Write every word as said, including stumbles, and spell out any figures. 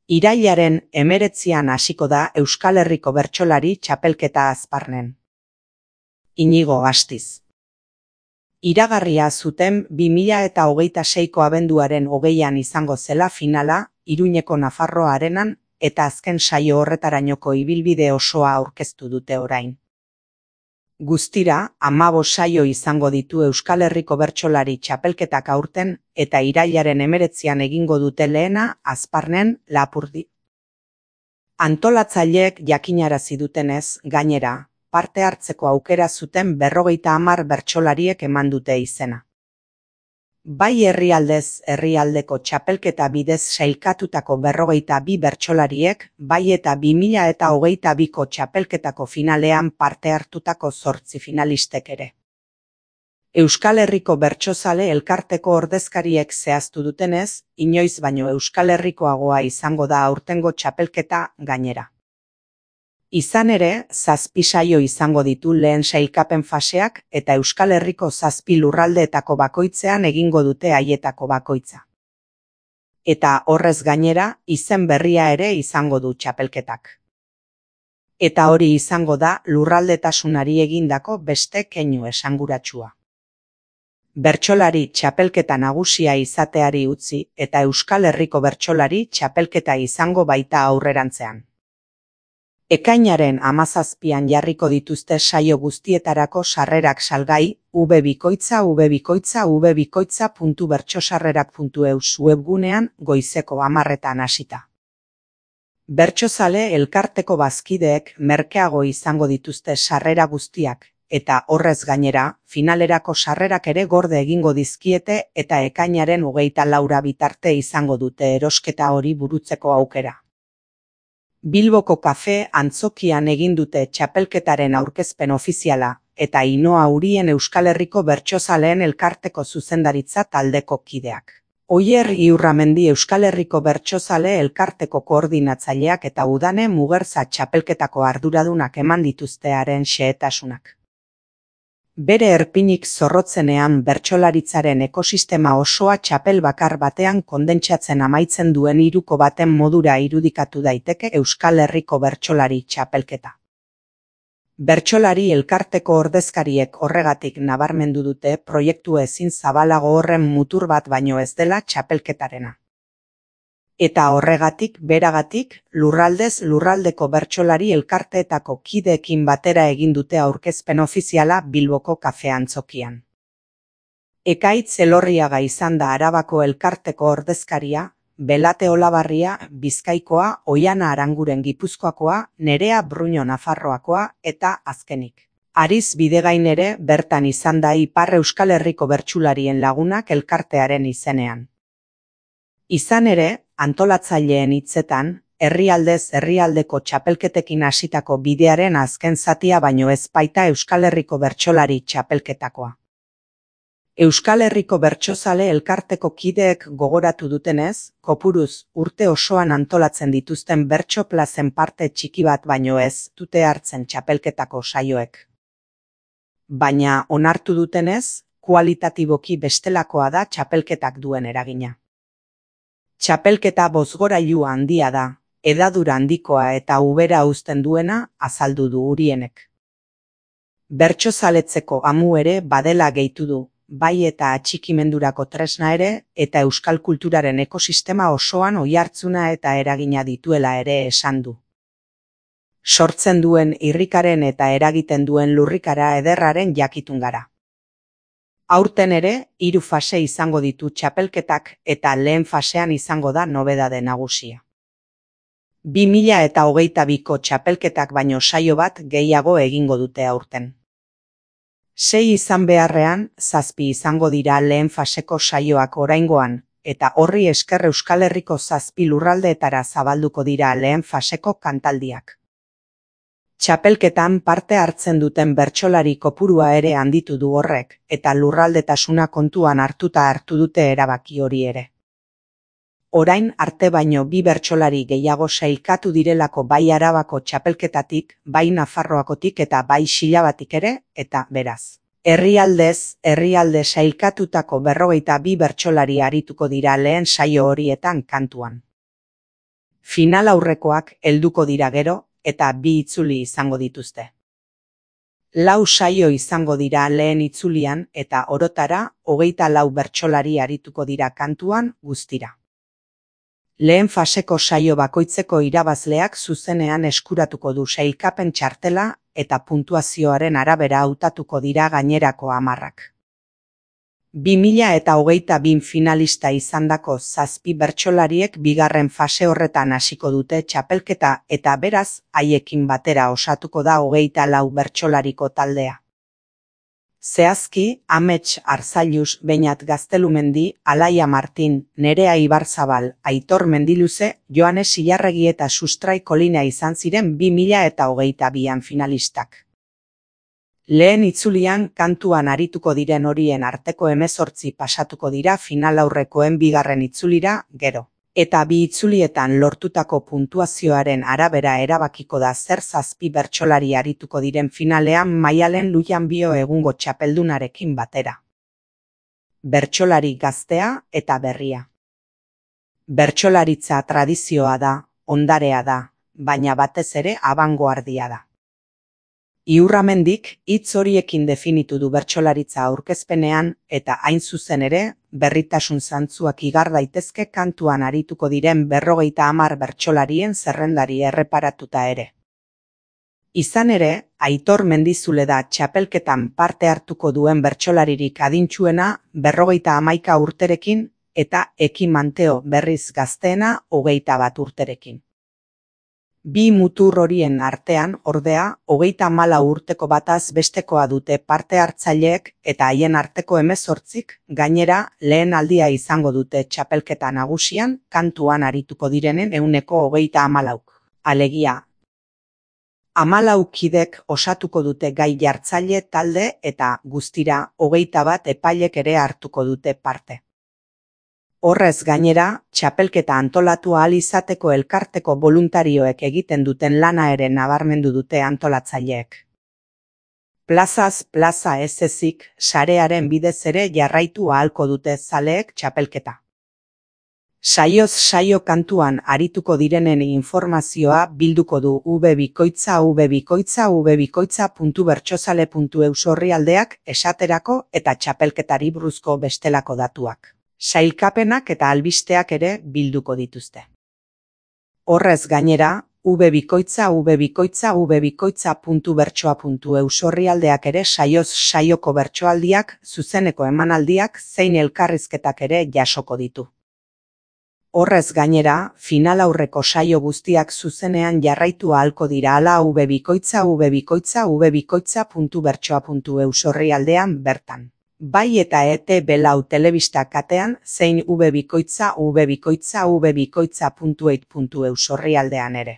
Irailaren hemeretzian hasiko da Euskal Herriko Bertsolari Txapelketa Azparnen. Inigo Astiz. Iragarria zuten bi mila eta hogeita seiko abenduaren hogeian izango zela finala Iruñeko Nafarroa Arenan eta azken saio horretarainoko ibilbide osoa aurkeztu dute orain. Guztira, hamabost saio izango ditu Euskal Herriko Bertsolari Txapelketak aurten eta irailaren hemeretzian egingo dute lehena Azparnen Lapurdi. Antolatzaileek jakinarazi dutenez, gainera, parte hartzeko aukera zuten berrogeita hamar bertsolariek eman dute izena. Bai herrialdez herrialdeko txapelketa bidez sailkatutako berrogeita bi bertsolariek, bai eta bi mila eta hogeita biko txapelketako finalean parte hartutako zortzi finalistek ere. Euskal Herriko Bertsozale Elkarteko ordezkariek zehaztu dutenez, inoiz baino Euskal Herrikoagoa izango da aurtengo txapelketa gainera. Izan ere, zazpi saio izango ditu lehen sailkapen faseak eta Euskal Herriko zazpi lurraldeetako bakoitzean egingo dute haietako bakoitza. Eta horrez gainera, izen berria ere izango du txapelketak. Eta hori izango da lurraldetasunari egindako beste keinu esanguratsua. Bertsolari txapelketa nagusia izateari utzi eta Euskal Herriko Bertsolari txapelketa izango baita aurrerantzean. Ekainaren hamazazpian jarriko dituzte saio guztietarako sarrerak salgai, ubebikoitza ubebikoitza ubebikoitza puntu bertsosarrerak puntu eus webgunean goizeko hamarretan hasita. Bertsozale Elkarteko bazkideek merkeago izango dituzte sarrera guztiak, eta horrez gainera, finalerako sarrerak ere gorde egingo dizkiete eta ekainaren hogeita laura bitarte izango dute erosketa hori burutzeko aukera. Bilboko kafe antzokian egin dute txapelketaren aurkezpen ofiziala, eta Ainhoa Urien Euskal Herriko Bertsozaleen Elkarteko zuzendaritza taldeko kideak. Oier Iurramendi Euskal Herriko Bertsozale Elkarteko koordinatzaileak eta Udane Mugerza txapelketako arduradunak eman dituztearen xehetasunak. Bere erpinik zorrotzenean bertsolaritzaren ekosistema osoa txapel bakar batean kondentsatzen amaitzen duen hiruko baten modura irudikatu daiteke Euskal Herriko Bertsolari Txapelketa. Bertsolari Elkarteko ordezkariek horregatik nabarmendu dute proiektu ezin zabalago horren mutur bat baino ez dela txapelketarena. Eta horregatik, beragatik, lurraldez lurraldeko bertsolari elkarteetako kideekin batera egin dute aurkezpen ofiziala Bilboko kafe antzokian. Ekaitz Elorriaga izan da Arabako Elkarteko ordezkaria, Belate Olabarria Bizkaikoa, Oiana Aranguren Gipuzkoakoa, Nerea Bruño Nafarroakoa eta azkenik. Ariz Bidegain ere bertan izan da Ipar Euskal Herriko bertsularien lagunak elkartearen izenean. Izan ere, antolatzaileen hitzetan, herrialdez herrialdeko txapelketekin hasitako bidearen azken zatia baino ez baita Euskal Herriko Bertsolari Txapelketakoa. Euskal Herriko Bertsozale Elkarteko kideek gogoratu dutenez, kopuruz urte osoan antolatzen dituzten bertso plazen parte txiki bat baino ez dute hartzen txapelketako saioek. Baina onartu dutenez, kualitatiboki bestelakoa da txapelketak duen eragina. Txapelketa bozgorailu handia da, hedadura handikoa eta ubera uzten duena azaldu du Urienek. Bertsozaletzeko amu ere badela gehitu du, bai eta atxikimendurako tresna ere eta euskal kulturaren ekosistema osoan oihartzuna eta eragina dituela ere esan du. Sortzen duen irrikaren eta eragiten duen lurrikara ederraren jakitun gara. Aurten ere, hiru fase izango ditu txapelketak eta lehen fasean izango da nobedade nagusia. bi mila eta hogeita biko txapelketak baino saio bat gehiago egingo dute aurten. Sei izan beharrean, zazpi izango dira lehen faseko saioak oraingoan, eta horri esker Euskal Herriko zazpi lurraldeetara zabalduko dira lehen faseko kantaldiak. Txapelketan parte hartzen duten bertsolari kopurua ere handitu du horrek, eta lurraldetasuna kontuan hartuta hartu dute erabaki hori ere. Orain arte baino bi bertsolari gehiago sailkatu direlako bai Arabako txapelketatik, bai Nafarroakotik eta bai Xilabatik ere, eta beraz. Herrialdez, herrialde sailkatutako berrogeita bi bertsolari arituko dira lehen saio horietan kantuan. Final aurrekoak helduko dira gero, eta bi itzuli izango dituzte. Lau saio izango dira lehen itzulian eta orotara hogeita lau bertsolari arituko dira kantuan guztira. Lehen faseko saio bakoitzeko irabazleak zuzenean eskuratuko du sailkapen txartela eta puntuazioaren arabera hautatuko dira gainerako hamarrak. bi mila eta hogeita bi finalista izandako zazpi bertsolariek bigarren fase horretan hasiko dute txapelketa eta beraz haiekin batera osatuko da hogeita lau bertsolariko taldea. Zehazki, Amets Arzailuz, Beñat Gaztelumendi, Alaia Martin, Nerea Ibarzabal, Aitor Mendiluze, Joanes Ilarregi eta Sustrai Kolina izan ziren bi mila eta hogeita bian finalistak. Lehen itzulian kantuan arituko diren horien arteko hemezortzi pasatuko dira final aurrekoen bigarren itzulira gero. Eta bi itzulietan lortutako puntuazioaren arabera erabakiko da zer zazpi bertsolari arituko diren finalean Maialen Lujanbio egungo txapeldunarekin batera. Bertsolari gaztea eta berria. Bertsolaritza tradizioa da, ondarea da, baina batez ere abangoardia da. Iurramendik hitz horiekin definitu du bertsolaritza aurkezpenean eta hain zuzen ere, berritasun zantzuak igar daitezke kantuan arituko diren berrogeita hamar bertsolarien zerrendari erreparatuta ere. Izan ere, Aitor Mendizule da txapelketan parte hartuko duen bertsolaririk adintsuena berrogeita hamaika urterekin eta Eki Manteo berriz gazteena hogeita bat urterekin. Bi mutur horien artean, ordea, hogeita hamalau urteko bataz bestekoa dute parte hartzaileek eta haien arteko hemezortzik, gainera, lehen aldia izango dute txapelketa nagusian, kantuan arituko direnen ehuneko hogeita hamalauk. Alegia, hamalau kidek osatuko dute gai jartzaile talde eta guztira hogeita bat epailek ere hartuko dute parte. Horrez gainera, txapelketa antolatu ahal izateko elkarteko boluntarioek egiten duten lana ere nabarmendu dute antolatzaileek. Plazaz plaza ez ezik, sarearen bidez ere jarraitu ahalko dute zaleek txapelketa. Saioz saio kantuan arituko direnen informazioa bilduko du ubebikoitza ubebikoitza ubebikoitza puntu bertsozale puntu eus orrialdeak esaterako eta txapelketari buruzko bestelako datuak. Sailkapenak eta albisteak ere bilduko dituzte. Horrez gainera, ubebikoitza ubebikoitza ubebikoitza puntu bertsoa puntu eus orrialdeak ere saioz saioko bertsoaldiak, zuzeneko emanaldiak zein elkarrizketak ere jasoko ditu. Horrez gainera, final aurreko saio guztiak zuzenean jarraitu ahalko dira hala ubebikoitza ubebikoitza ubebikoitza puntu bertsoa puntu eus orrialdean bertan. Bai eta E T B lau telebista katean zein ubebikoitza ubebikoitza ubebikoitza puntu eit puntu eus orrialdean ere.